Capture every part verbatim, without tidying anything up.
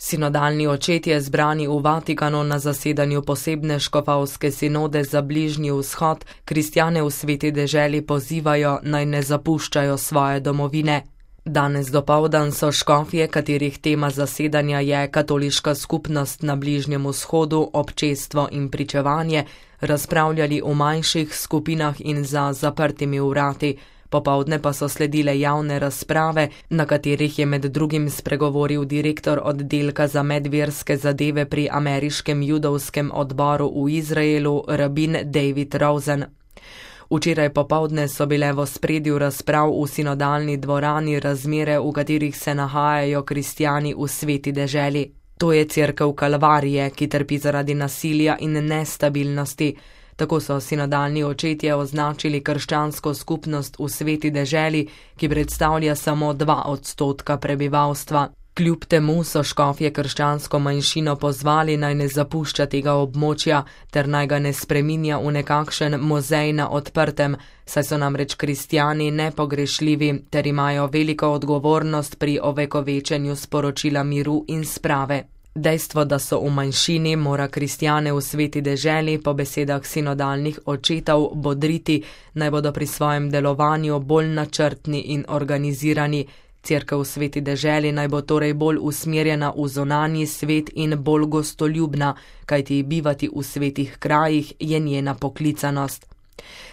Sinodalni očetje zbrani v Vatikanu na zasedanju posebne škofovske sinode za Bližnji vzhod kristjane v sveti deželi pozivajo, naj ne zapuščajo svoje domovine. Danes dopoldan so škofje, katerih tema zasedanja je katoliška skupnost na Bližnjem vzhodu, občestvo in pričevanje, razpravljali v manjših skupinah in za zaprtimi vrati. Popoldne pa so sledile javne razprave, na katerih je med drugim spregovoril direktor oddelka za medverske zadeve pri ameriškem judovskem odboru v Izraelu, rabin David Rosen. Včeraj popoldne so bile v ospredju razprav v sinodalni dvorani razmere, v katerih se nahajajo kristjani v sveti deželi. To je cerkev Kalvarije, ki trpi zaradi nasilja in nestabilnosti. Tako so sinodalni očetje označili krščansko skupnost v sveti deželi, ki predstavlja samo dva odstotka prebivalstva. Kljub temu so škofje krščansko manjšino pozvali, naj ne zapušča tega območja, ter naj ga ne spreminja v nekakšen muzej na odprtem, saj so namreč kristjani nepogrešljivi ter imajo veliko odgovornost pri ovekovečenju sporočila miru in sprave. Dejstvo, da so v manjšini, mora kristjane v sveti deželi po besedah sinodalnih očetov bodriti, naj bodo pri svojem delovanju bolj načrtni in organizirani. Cerkev v sveti deželi naj bo torej bolj usmerjena v zunanji svet in bolj gostoljubna, kajti bivati v svetih krajih je njena poklicanost.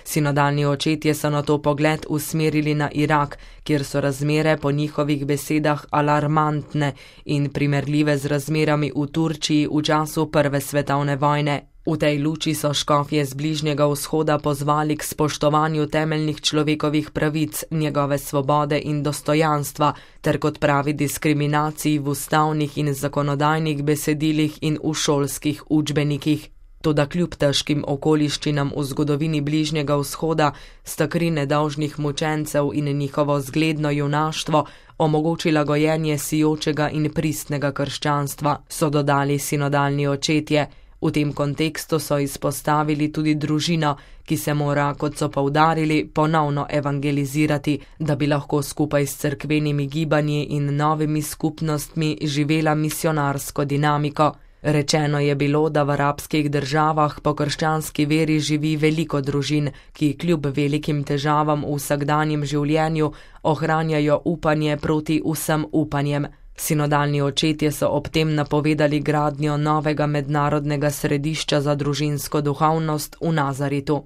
Sinodalni očetje so na to pogled usmerili na Irak, kjer so razmere po njihovih besedah alarmantne in primerljive z razmerami v Turčiji v času Prve svetovne vojne. V tej luči so škofje z Bližnjega vzhoda pozvali k spoštovanju temeljnih človekovih pravic, njegove svobode in dostojanstva, ter kot pravi diskriminaciji v ustavnih in zakonodajnih besedilih in v šolskih učbenikih. Toda kljub težkim okoliščinam v zgodovini Bližnjega vzhoda sta kri nedolžnih mučencev in njihovo zgledno junaštvo omogočila gojenje sijočega in pristnega krščanstva, so dodali sinodalni očetje. V tem kontekstu so izpostavili tudi družino, ki se mora, kot so poudarili, ponovno evangelizirati, da bi lahko skupaj s cerkvenimi gibanji in novimi skupnostmi živela misionarsko dinamiko. Rečeno je bilo, da v arabskih državah po krščanski veri živi veliko družin, ki kljub velikim težavam v vsakdanjem življenju ohranjajo upanje proti vsem upanjem. Sinodalni očetje so ob tem napovedali gradnjo novega mednarodnega središča za družinsko duhovnost v Nazaretu.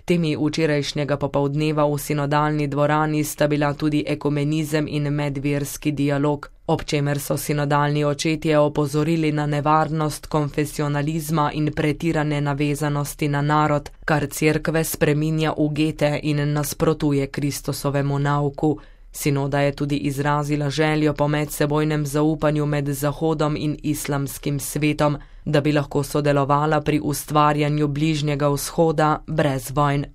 Temi včerajšnjega popoldneva v sinodalni dvorani sta bila tudi ekumenizem in medverski dialog, ob čemer so sinodalni očetje opozorili na nevarnost konfesionalizma in pretirane navezanosti na narod, kar cerkve spreminja v gete in nasprotuje Kristusovemu nauku. Sinoda je tudi izrazila željo po medsebojnem zaupanju med Zahodom in islamskim svetom, da bi lahko sodelovala pri ustvarjanju Bližnjega vzhoda brez vojn.